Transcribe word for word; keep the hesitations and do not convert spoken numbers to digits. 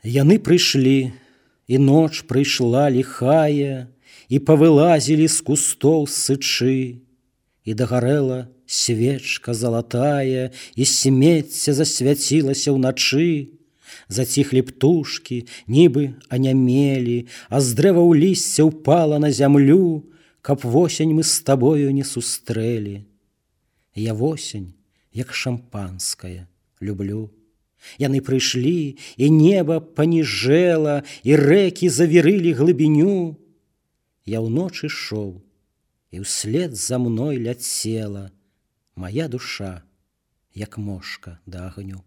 Яны прыйшлі, і ноч прыйшла ліхая, і павылазілі з кустоў сычы, і дагарэла свечка залатая, і смецце засвяцілася ўначы. Заціхлі птушкі, нібы анямелі, а з дрэваў лісце ўпала на зямлю, каб восень мы з табою не сустрэлі. Я восень, як шампанская, люблю. Яны прыйшлі, і неба паніжэла, і рэкі завірылі глыбіню. Я ўночы шоў, і ўслед за мной ляцела мая душа, як мошка да агню.